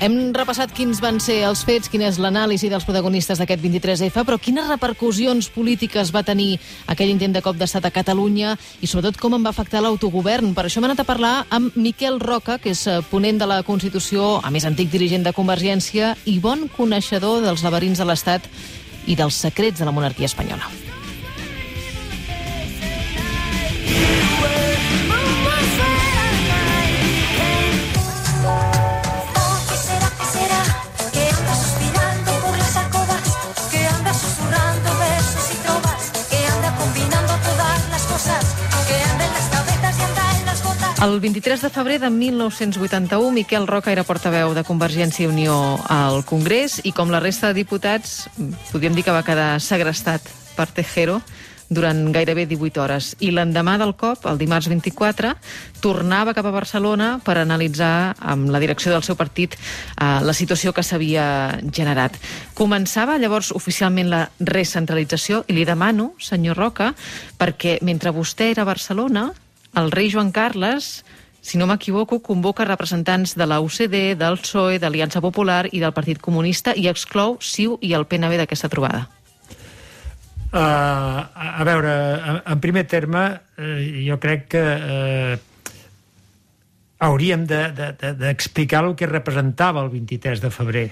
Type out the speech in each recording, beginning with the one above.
Hem repassat quins van ser els fets, quina és l'anàlisi dels protagonistes d'aquest 23F, però quines repercussions polítiques va tenir aquell intent de cop d'estat a Catalunya i sobretot com en va afectar l'autogovern. Per això hem anat a parlar amb Miquel Roca, que és ponent de la Constitució, a més antic dirigent de Convergència i bon coneixedor dels laberints de l'Estat i dels secrets de la monarquia espanyola. El 23 de febrer de 1981, Miquel Roca era portaveu de Convergència i Unió al Congrés i, com la resta de diputats, podríem dir que va quedar segrestat per Tejero durant gairebé 18 hores. I l'endemà del cop, el dimarts 24, tornava cap a Barcelona per analitzar amb la direcció del seu partit la situació que s'havia generat. Començava llavors oficialment la recentralització i li demano, senyor Roca, perquè mentre vostè era a Barcelona, el rei Joan Carles, si no m'equivoco, convoca representants de la UCD, del PSOE, d'Aliança Popular i del Partit Comunista i exclou CiU i el PNB d'aquesta trobada. A veure, en primer terme, jo crec que hauríem d'explicar el que representava el 23 de febrer,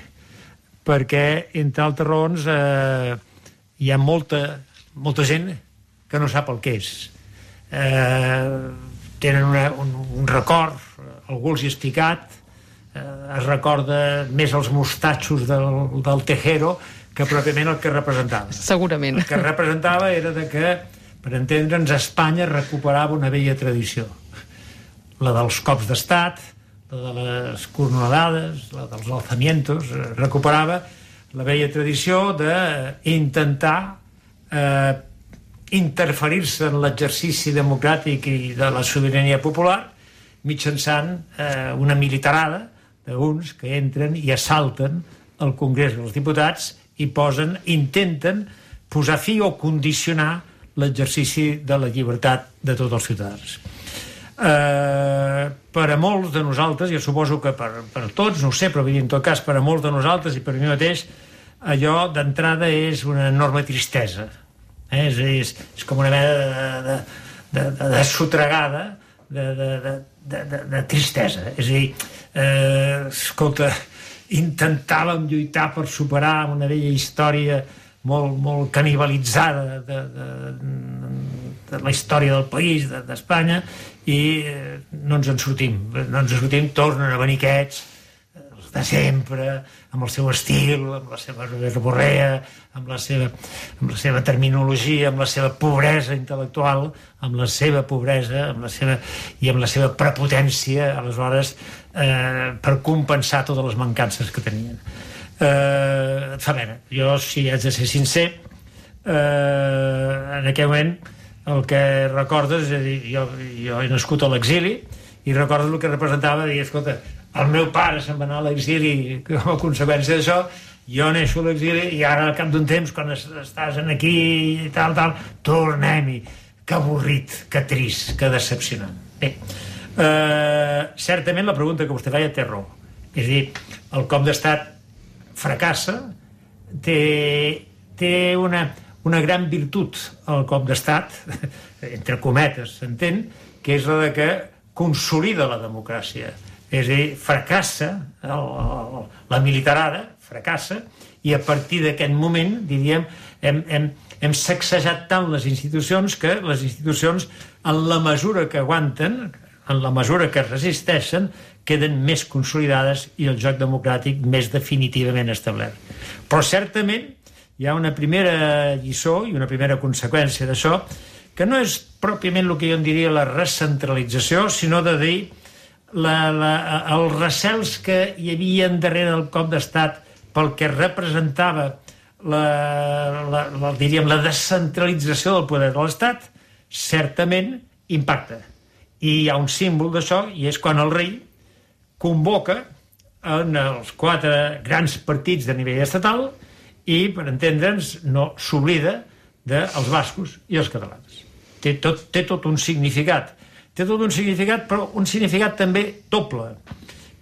perquè, entre altres raons, hi ha molta gent que no sap el que és. Tenen un record, algú els hi ha explicat, es recorda més els mostatxos del Tejero que pròpiament el que representava. Segurament. El que representava era que, per entendre'ns, Espanya recuperava una vella tradició. La dels cops d'estat, la de les cornolades, la dels alzamientos, recuperava la vella tradició d'intentar interferir-se en l'exercici democràtic i de la sobirania popular mitjançant una militarada d'uns que entren i assalten el Congrés dels Diputats i intenten posar fi o condicionar l'exercici de la llibertat de tots els ciutadans. Per a molts de nosaltres, jo suposo que per tots, no ho sé, però en tot cas per a molts de nosaltres i per a mi mateix, allò d'entrada és una enorme tristesa. És com una mena de sotregada de tristesa. És a dir, escolta, intentàvem lluitar per superar una vella història molt canibalitzada de la història del país, d'Espanya, i no ens en sortim, tornen a venir aquests de sempre, amb el seu estil, amb la seva verborrea, amb la seva terminologia, amb la seva pobresa intel·lectual, amb la seva pobresa i amb la seva prepotència, aleshores, per compensar totes les mancances que tenien. A veure, jo, si haig de ser sincer, en aquell moment el que recordes, és a dir, jo he nascut a l'exili i recordes el que representava dir, escolta, el meu pare se'n va anar a l'exili com a conseqüència d'això, jo neixo a l'exili i ara al cap d'un temps, quan estàs aquí i tal, tornem-hi. Que avorrit, que trist, que decepcionant. Bé, certament la pregunta que vostè feia té raó. És a dir, el cop d'estat fracassa, té una gran virtut el cop d'estat, entre cometes, s'entén, que és la de que consolida la democràcia. És a dir, fracassa, la militarada fracassa, i a partir d'aquest moment, diríem, hem sacsejat tant les institucions que les institucions, en la mesura que aguanten, en la mesura que resisteixen, queden més consolidades i el joc democràtic més definitivament establert. Però certament hi ha una primera lliçó i una primera conseqüència d'això, que no és pròpiament el que jo en diria la recentralització, sinó de dir els recels que hi havia darrere del cop d'estat pel que representava la descentralització del poder de l'Estat, certament impacta. I hi ha un símbol d'això, i és quan el rei convoca en els 4 grans partits de nivell estatal i, per entendre'ns, no s'oblida dels bascos i els catalans. Té tot un significat. Té tot un significat, però un significat també doble,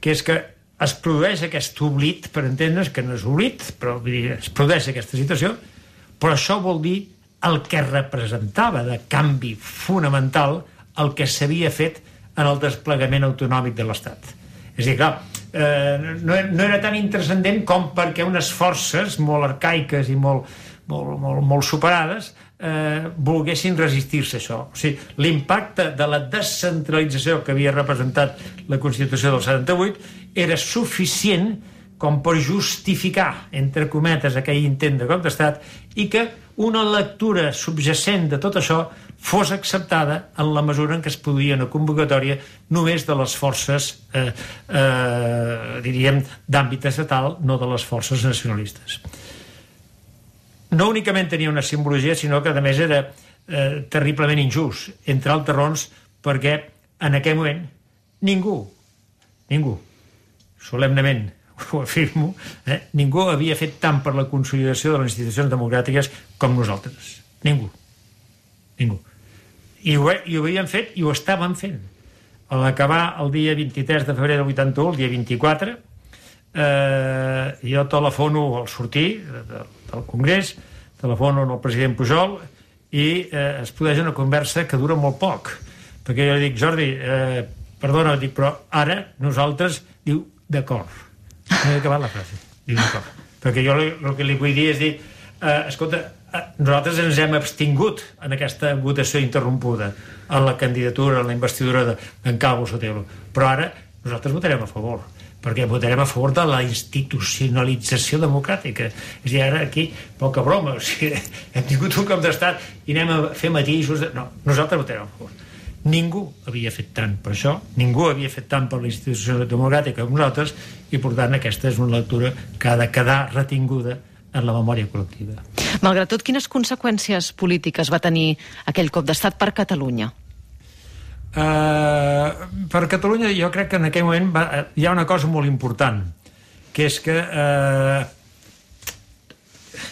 que és que es produeix aquest oblit, per entendre's que no és oblit, però es produeix aquesta situació, però això vol dir el que representava de canvi fonamental el que s'havia fet en el desplegament autonòmic de l'Estat. És a dir, clar, no era tan intranscendent com perquè unes forces molt arcaiques i molt superades volguessin resistir-se a això. O sigui, l'impacte de la descentralització que havia representat la Constitució del 78 era suficient com per justificar, entre cometes, aquell intent de cop d'estat i que una lectura subjacent de tot això fos acceptada en la mesura en què es produïa una convocatòria només de les forces, diríem, d'àmbit estatal, no de les forces nacionalistes. No únicament tenia una simbologia, sinó que, a més, era terriblement injust, entre altres raons, perquè en aquell moment ningú, solemnement ho afirmo, ningú havia fet tant per la consolidació de les institucions democràtiques com nosaltres. Ningú. I ho havien fet i ho estaven fent. A l'acabar el dia 23 de febrer del 81, el dia 24, jo telefono al sortir del Congrés, telefono al president Pujol i es produeix una conversa que dura molt poc, perquè jo li dic, Jordi, perdona, però ara nosaltres, diu, d'acord. No he acabat la frase. Diu, d'acord. Perquè jo el que li vull dir és dir, escolta, nosaltres ens hem abstingut en aquesta votació interrompuda en la candidatura, en la investidura d'en Calvo Sotelo, però ara nosaltres votarem a favor, perquè votarem a favor de la institucionalització democràtica. És a dir, ara aquí, poca broma, o sigui, hem tingut un cop d'estat i anem a fer matisos. No, nosaltres votarem a favor. Ningú havia fet tant per això, ningú havia fet tant per la institució democràtica com nosaltres, i per tant aquesta és una lectura que ha de quedar retinguda en la memòria col·lectiva. Malgrat tot, quines conseqüències polítiques va tenir aquell cop d'estat per Catalunya? Per Catalunya jo crec que en aquell moment hi ha una cosa molt important, que és que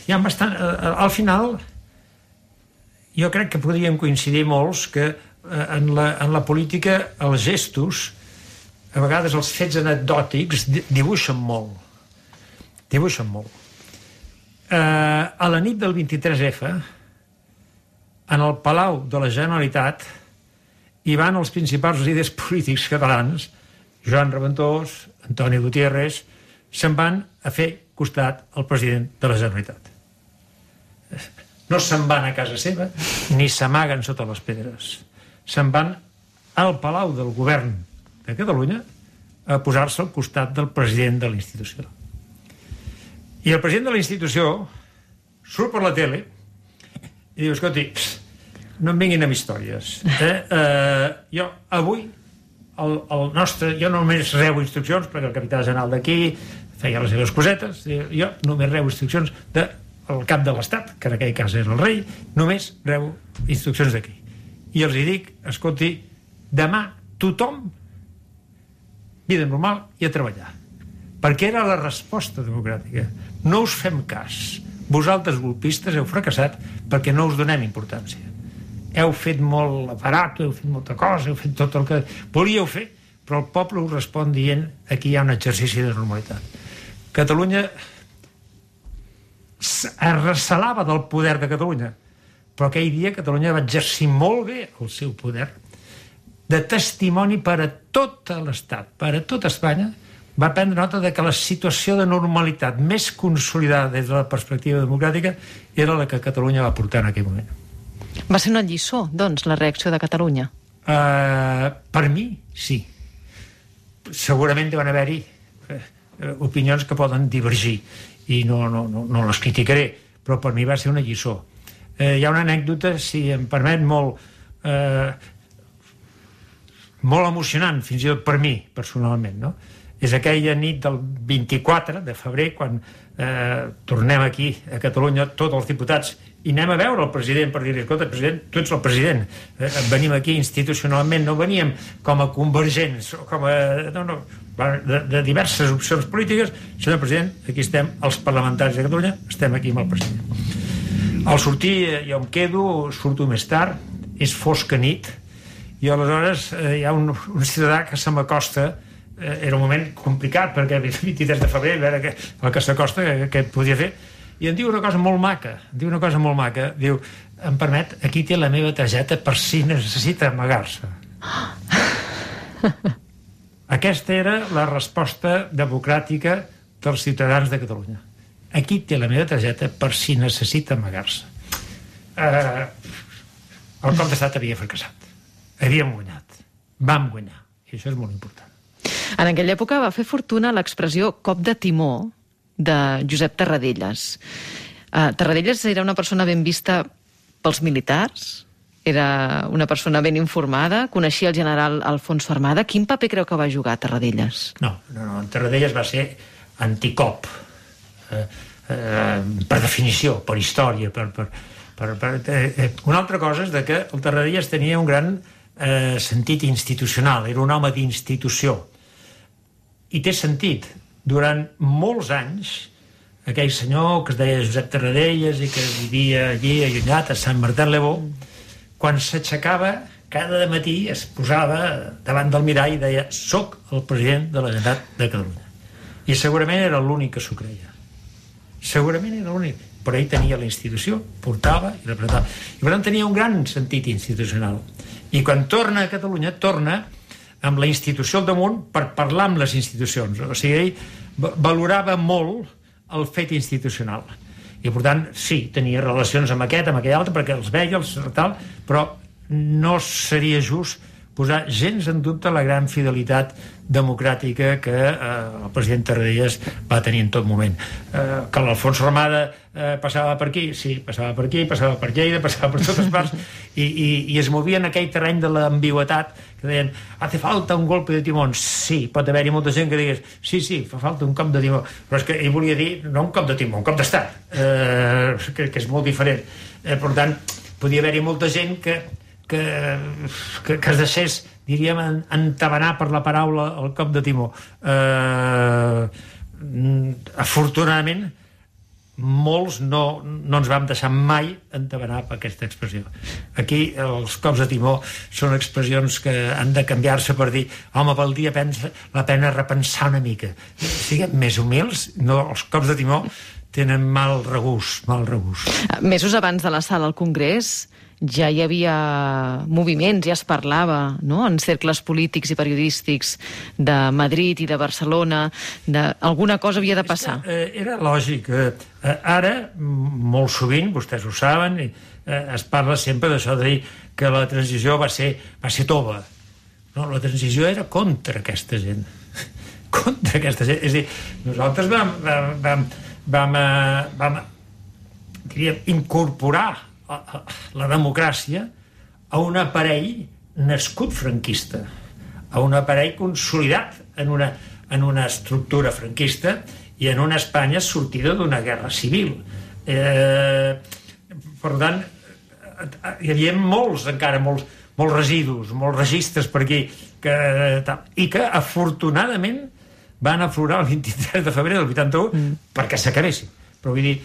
hi ha bastant... Al final jo crec que podríem coincidir molts que en la política els gestos, a vegades els fets anecdòtics, dibuixen molt. A la nit del 23F, en el Palau de la Generalitat, hi van els principals líders polítics catalans, Joan Reventós, Antoni Gutiérrez, se'n van a fer costat al president de la Generalitat. No se'n van a casa seva, ni s'amaguen sota les pedres. Se'n van al Palau del Govern de Catalunya a posar-se al costat del president de la institució. I el president de la institució surt per la tele i diu, escolti, no em vinguin amb històries. Jo, avui, jo només rebo instruccions, perquè el capità general d'aquí feia les seves cosetes, jo només rebo instruccions del cap de l'Estat, que en aquell cas era el rei, només rebo instruccions d'aquí. I els hi dic, escolti, demà tothom, vida normal i a treballar. Perquè era la resposta democràtica. No us fem cas. Vosaltres, golpistes, heu fracassat perquè no us donem importància. Heu fet molt aparato, heu fet molta cosa, heu fet tot el que volíeu fer, però el poble us respon dient aquí hi ha un exercici de normalitat. Catalunya es recelava del poder de Catalunya, però aquell dia Catalunya va exercir molt bé el seu poder de testimoni per a tot l'Estat, per a tota Espanya. Va prendre nota de que la situació de normalitat més consolidada des de la perspectiva democràtica era la que Catalunya va portar en aquell moment. Va ser una lliçó, doncs, la reacció de Catalunya? Per mi, sí. Segurament deuen haver-hi opinions que poden divergir i no les criticaré, però per mi va ser una lliçó. Hi ha una anècdota, si em permet, molt emocionant, fins i tot per mi, personalment, no? És aquella nit del 24 de febrer, quan tornem aquí a Catalunya, tots els diputats, i anem a veure el president per dir-li, escolta, president, tu ets el president, venim aquí institucionalment, no veníem com a convergents, com a... de diverses opcions polítiques. Senyor president, aquí estem, els parlamentaris de Catalunya, estem aquí amb el president. Al sortir jo em quedo, surto més tard, és fosca nit, i aleshores hi ha un ciutadà que se m'acosta era un moment complicat, perquè el 23 de febrer, a veure el que s'acosta, què podia fer, i em diu una cosa molt maca, diu, em permet, aquí té la meva targeta per si necessita amagar-se. Aquesta era la resposta democràtica dels ciutadans de Catalunya. Aquí té la meva targeta per si necessita amagar-se. El cop d'estat havia fracassat. Havíem guanyat. Vam guanyar. I això és molt important. En aquella època va fer fortuna l'expressió cop de timó de Josep Tarradellas. Tarradellas era una persona ben vista pels militars, era una persona ben informada, coneixia el general Alfonso Armada. Quin paper creu que va jugar Tarradellas? No, Tarradellas va ser anticop, per definició, per història. Una altra cosa és que el Tarradellas tenia un gran sentit institucional, era un home d'institució. I té sentit. Durant molts anys, aquell senyor que es deia Josep Tarradellas i que vivia allí allunyat a Sant Martin-le-Beau, quan s'aixecava cada matí es posava davant del mirall i deia: soc el president de la Generalitat de Catalunya. I segurament era l'únic que s'ho creia. Segurament era l'únic. Però ell tenia la institució, portava i representava. I per tant tenia un gran sentit institucional. I quan torna a Catalunya, torna amb la institució al damunt per parlar amb les institucions. O sigui, ell valorava molt el fet institucional. I, per tant, sí, tenia relacions amb aquest, amb aquell altre, perquè els veia, tal, però no seria just posar gens en dubte la gran fidelitat democràtica que el president Tarradellas va tenir en tot moment. Que l'Alfonso Armada passava per aquí, sí, passava per aquí, passava per Lleida, passava per totes parts, i es movia en aquell terreny de l'ambigüitat, que deien: hace falta un golpe de timón. Sí, pot haver-hi molta gent que digués: sí, fa falta un cop de timó. Però és que ell volia dir no un cop de timó, un cop d'estat, que és molt diferent. Per tant, podia haver-hi molta gent que es deixés, diríem, entabanar per la paraula el cop de timó. Afortunadament, molts no ens vam deixar mai entabanar per aquesta expressió. Aquí els cops de timó són expressions que han de canviar-se per dir: home, valdria la pena repensar una mica. Siguem més humils, no, els cops de timó tenen mal regust. Mesos abans de l'assalt al Congrés ja hi havia moviments, ja es parlava, no?, en cercles polítics i periodístics de Madrid i de Barcelona, alguna cosa havia de passar. Era lògic. Ara, molt sovint, vostès ho saben, es parla sempre d'això de dir que la transició va ser tova. No, la transició era contra aquesta gent. Contra aquesta gent. És a dir, nosaltres vam diríem, incorporar la democràcia a un aparell nascut franquista, a un aparell consolidat en una estructura franquista i en una Espanya sortida d'una guerra civil. Per tant, hi havia molts residus, molts registres per aquí, i que afortunadament van aflorar el 23 de febrer del 81 perquè s'acabessin. Però vull dir,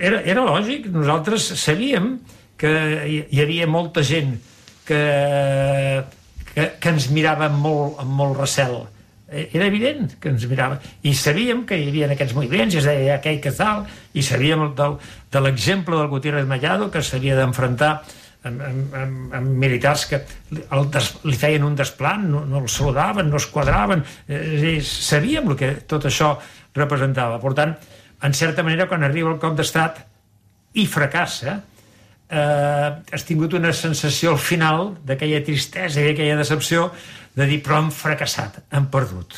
era lògic. Nosaltres sabíem que hi havia molta gent que ens mirava amb molt recel. Era evident que ens mirava. I sabíem que hi havia aquests moviments, i es deia aquell que tal, i sabíem de l'exemple del Gutiérrez Mellado, que s'havia d'enfrontar amb militars que li feien un desplant, no el saludaven, no es quadraven. Sabíem el que tot això representava. Per tant, en certa manera, quan arriba el cop d'estat i fracassa, has tingut una sensació al final d'aquella tristesa i aquella decepció de dir: però han fracassat, han perdut,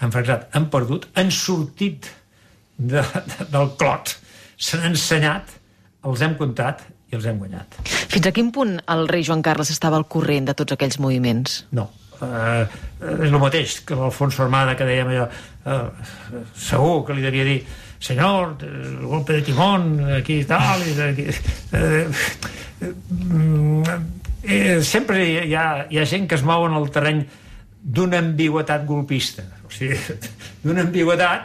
han sortit del clot, s'han ensenyat, els hem comptat i els hem guanyat. Fins a quin punt el rei Joan Carles estava al corrent de tots aquells moviments? No. És el mateix que l'Alfonso Armada, que dèiem allò, segur que li devia dir: senyor, el golpe de timón, aquí i tal, sempre hi ha gent que es mou en el terreny d'una ambigüetat golpista, o sigui, d'una ambigüetat,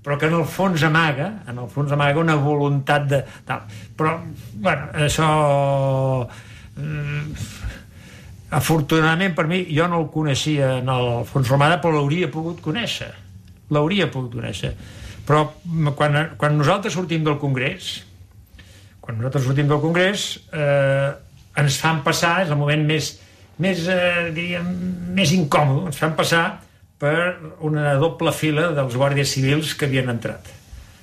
però que en el fons amaga una voluntat de tal. Però, bueno, això Afortunadament per mi, jo no el coneixia en Alfons Romada, però l'hauria pogut conèixer. Però quan nosaltres sortim del Congrés, ens fan passar, és el moment més incòmode, ens fan passar per una doble fila dels guàrdies civils que havien entrat.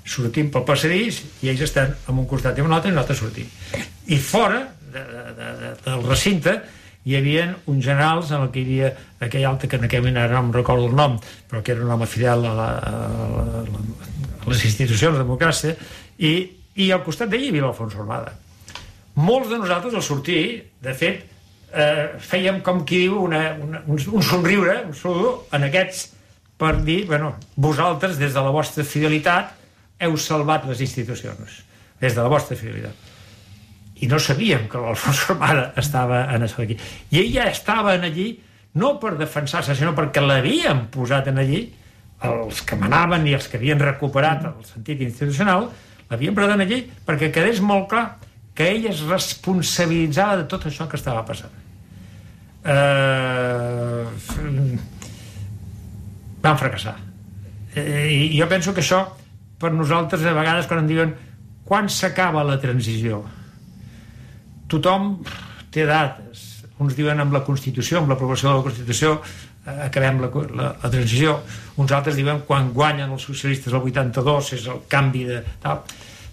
Sortim pel passadís i ells estan en un costat i en un altre i nosaltres sortim. I fora del recinte hi havia uns generals en el que hi havia aquell altre que en aquell moment ara no em recordo el nom, però que era un home fidel a les institucions de democràcia, i al costat d'ell hi havia l'Alfons Romada. Molts de nosaltres al sortir, de fet, fèiem com qui diu un somriure, un saludo en aquests, per dir, bueno, vosaltres des de la vostra fidelitat heu salvat les institucions, des de la vostra fidelitat. I no sabíem que l'Alfons Romada estava en això d'aquí. I ell ja estava en allí, no per defensar-se, sinó perquè l'havien posat en allí, els que manaven i els que havien recuperat el sentit institucional, l'havien posat en allí perquè quedés molt clar que ell es responsabilitzava de tot això que estava passant. Van fracassar. I jo penso que això, per nosaltres, a vegades, quan em diuen quan s'acaba la transició, tothom té dates. Uns diuen amb la Constitució, amb l'aprovació de la Constitució acabem la transició. Uns altres diuen quan guanyen els socialistes el 82 és el canvi de tal.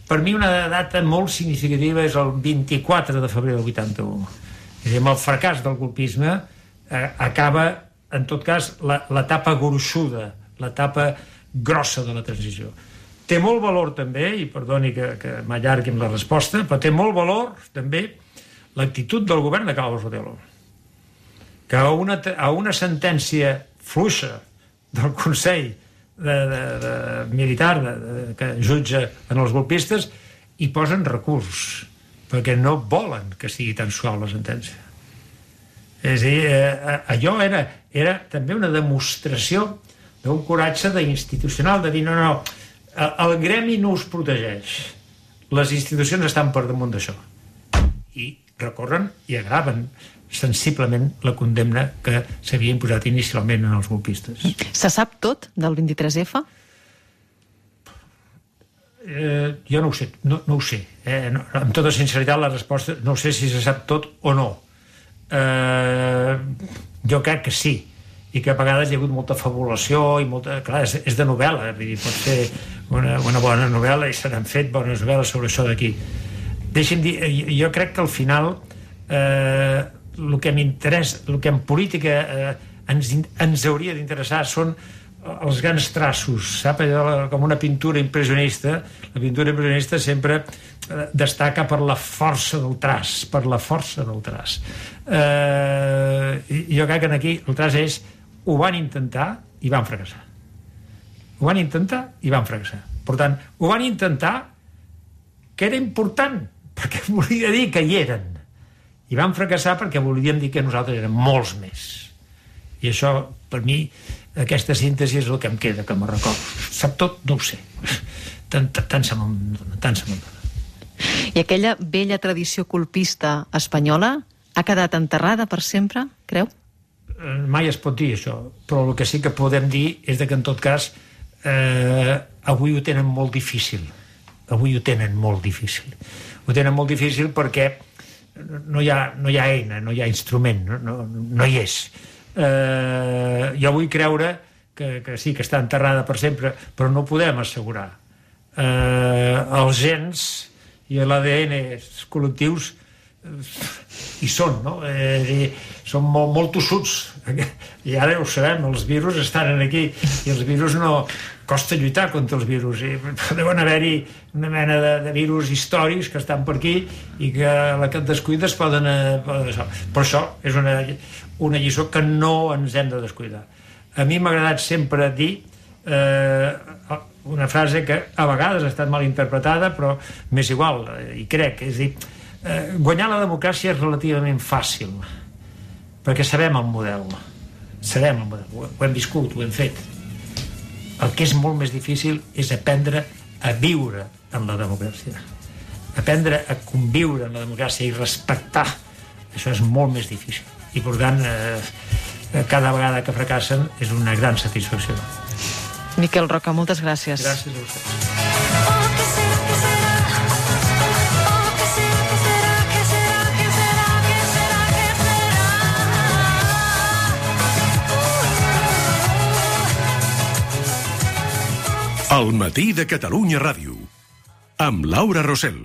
Per mi una data molt significativa és el 24 de febrer del 81. És a dir, amb el fracàs del colpisme acaba, en tot cas, l'etapa gruixuda, l'etapa grossa de la transició. Té molt valor també, i perdoni que m'allargui amb la resposta, però té molt valor també l'actitud del govern de Carlos Sotelo, que a una sentència fluixa del Consell militar que jutja en els golpistes hi posen recurs, perquè no volen que sigui tan suau la sentència. És a dir, allò era també una demostració d'un coratge institucional, de dir no, el gremi no us protegeix, les institucions estan per damunt d'això, i recorren i agraven sensiblement la condemna que s'havia imposat inicialment en els golpistes. Se sap tot del 23F? Jo no ho sé, no ho sé. Amb tota sinceritat la resposta, no sé si se sap tot o no. Jo crec que sí, i que a vegades hi ha hagut molta fabulació i molta... Clar, és de novel·la, pot ser una bona novel·la i se n'han fet bones novel·les sobre això d'aquí. Deixi'm dir, jo crec que al final el que m'interessa, el que en política ens hauria d'interessar són els grans traços, sap? Com una pintura impressionista. La pintura impressionista sempre destaca per la força del traç, jo crec que aquí el traç és ho van intentar i van fracassar. Per tant, ho van intentar, que era important, perquè volia dir que hi eren, i van fracassar perquè volíem dir que nosaltres érem molts més. I això, per mi, aquesta síntesi és el que em queda, que me'n recordo. Sap tot? No ho sé. Tant se me'n dona. I aquella vella tradició colpista espanyola ha quedat enterrada per sempre, creu? Mai es pot dir això, però el que sí que podem dir és que, en tot cas, avui ho tenen molt difícil. Ho tenen molt difícil perquè no hi ha eina, no hi ha instrument, no hi és. Jo vull creure que sí, que està enterrada per sempre, però no ho podem assegurar. Els gens i l'ADN col·lectius hi són, no? Són molt tossuts, i ara ho sabem, els virus estan aquí, i els virus no... costa lluitar contra els virus, i deuen haver-hi una mena de virus històrics que estan per aquí i que a la que et descuides poden... Però això és una lliçó que no ens hem de descuidar. A mi m'ha agradat sempre dir una frase que a vegades ha estat mal interpretada, però m'és igual, i crec, és dir, guanyar la democràcia és relativament fàcil, perquè sabem el model, ho hem viscut, ho hem fet. El que és molt més difícil és aprendre a viure en la democràcia, aprendre a conviure en la democràcia i respectar. Això és molt més difícil. i per tant cada vegada que fracassen és una gran satisfacció. Miquel Roca, moltes gràcies. Gràcies a vosaltres. El matí de Catalunya Ràdio, amb Laura Rosell.